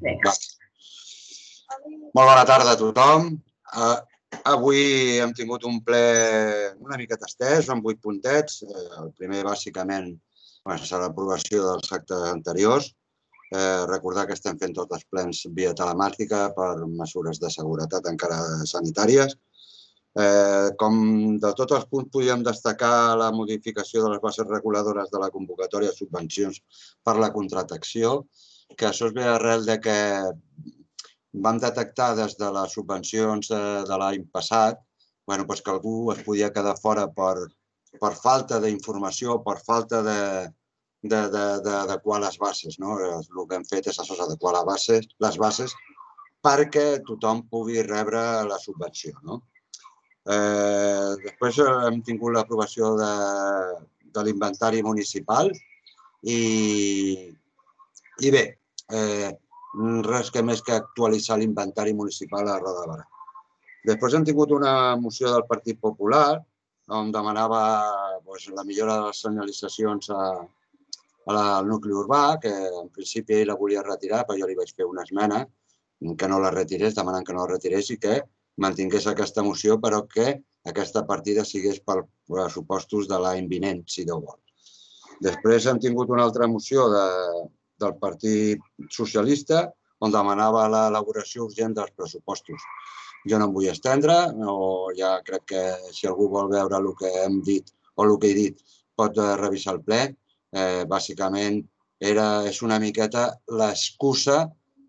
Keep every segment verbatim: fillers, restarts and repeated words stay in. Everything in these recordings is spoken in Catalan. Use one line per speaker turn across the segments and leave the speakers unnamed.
Va. Molt bona tarda a tothom. Uh, avui hem tingut un ple una mica estès, amb vuit puntets. Uh, el primer, bàsicament, serà l'aprovació dels actes anteriors. Eh, recordar que estem fent tots els plens via telemàtica per mesures de seguretat encara sanitàries. Eh, com de tots els punts podríem destacar la modificació de les bases reguladores de la convocatòria de subvencions per la contractació, que això es ve arrel de que vam detectar des de les subvencions de, de l'any passat bueno, pues que algú es podia quedar fora per, per falta d'informació, per falta de d'adequar les bases. No? El que hem fet és això, adequar les bases, les bases perquè tothom pugui rebre la subvenció. No? Eh, després hem tingut l'aprovació de, de l'inventari municipal i, i bé, eh, res que més que actualitzar l'inventari municipal a Roda de Barà. Després hem tingut una moció del Partit Popular on demanava doncs, la millora de les senyalitzacions a, al nucli urbà, que en principi ell la volia retirar, però jo li vaig fer una esmena que no la retirés, demanant que no la retirés i que mantingués aquesta moció, però que aquesta partida sigués per pressupostos de l'any vinent, si Déu vol. Després hem tingut una altra moció de, del Partit Socialista on demanava l'elaboració urgent dels pressupostos. Jo no em vull estendre, o ja crec que si algú vol veure el que hem dit o el que he dit pot revisar el ple. Eh, bàsicament era, és una miqueta l'excusa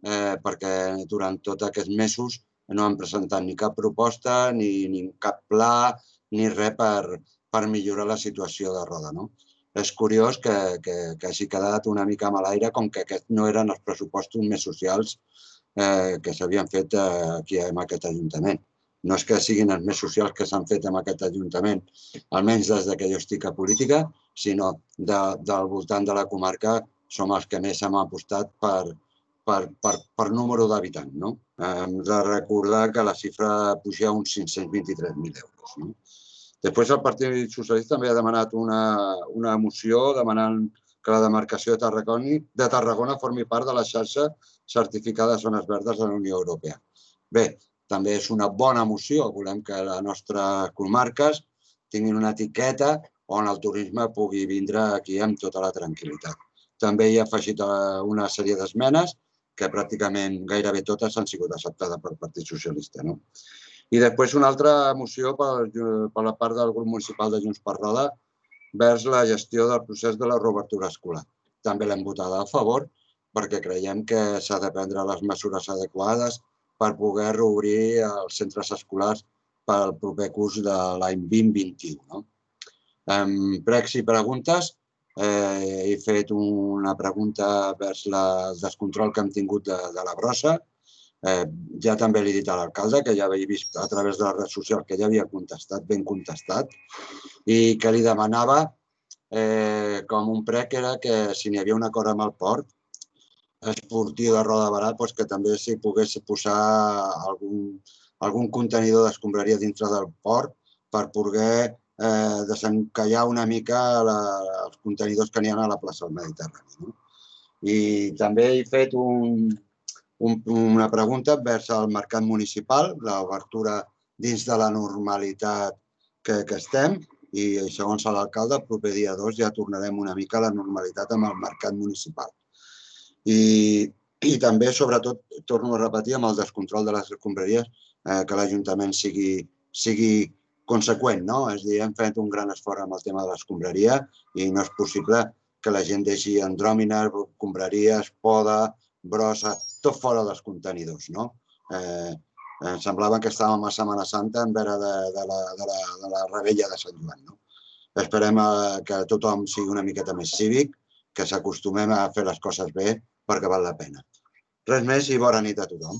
eh, perquè durant tots aquests mesos no han presentat ni cap proposta, ni, ni cap pla, ni res per, per millorar la situació de Roda. No? És curiós que, que, que hagi quedat una mica a l'aire com que aquests no eren els pressupostos més socials eh, que s'havien fet eh, aquí en aquest Ajuntament. No és que siguin els més socials que s'han fet en aquest Ajuntament, almenys des que jo estic a política, sinó de, del voltant de la comarca som els que més hem apostat per, per, per, per número d'habitants. No? Hem de recordar que la xifra puja a uns cinc-cents vint-i-tres mil euros. No? Després el Partit Socialista també ha demanat una, una moció demanant que la demarcació de Tarragona, de Tarragona formi part de la xarxa certificada de zones verdes de la Unió Europea. Bé, també és una bona moció. Volem que les nostres comarques tinguin una etiqueta on el turisme pugui vindre aquí amb tota la tranquil·litat. També hi ha afegit una sèrie d'esmenes que pràcticament gairebé totes han sigut acceptades pel Partit Socialista. No? I després una altra moció per, per la part del grup municipal de Junts per Roda vers la gestió del procés de la reobertura escolar. També l'hem votat a favor perquè creiem que s'ha de prendre les mesures adequades per poder reobrir els centres escolars pel proper curs de l'any vint vint-vint u. No? En pregs i preguntes, eh, he fet una pregunta vers la, el descontrol que hem tingut de, de la brossa. Eh, ja també l'he dit a l'alcalde, que ja havia vist a través de les redes socials que ja havia contestat, ben contestat, i que li demanava eh, com un prec era que si n'hi havia un acord amb el port esportiu de Roda de Barà, doncs que també s'hi pogués posar algun, algun contenidor d'escombraria dintre del port per poder eh, desencallar una mica la, els contenidors que n'hi ha a la plaça del Mediterrani. No? I també he fet un, un, una pregunta vers el mercat municipal, l'obertura dins de la normalitat que, que estem, i segons l'alcalde, el proper dia dos ja tornarem una mica a la normalitat amb el mercat municipal. I, i també, sobretot, torno a repetir, amb el descontrol de les escombraries, eh, que l'Ajuntament sigui, sigui conseqüent. No? És a dir, hem fet un gran esforç amb el tema de l'escombraria i no és possible que la gent deixi andròmines, escombraries, poda, brossa, tot fora dels contenidors. No? Eh, em semblava que estàvem a Setmana Santa en vera de, de, la, de, la, de la rebella de Sant Joan. No? Esperem que tothom sigui una miqueta més cívic, que s'acostumem a fer les coses bé perquè val la pena. Res més i bona nit a tothom.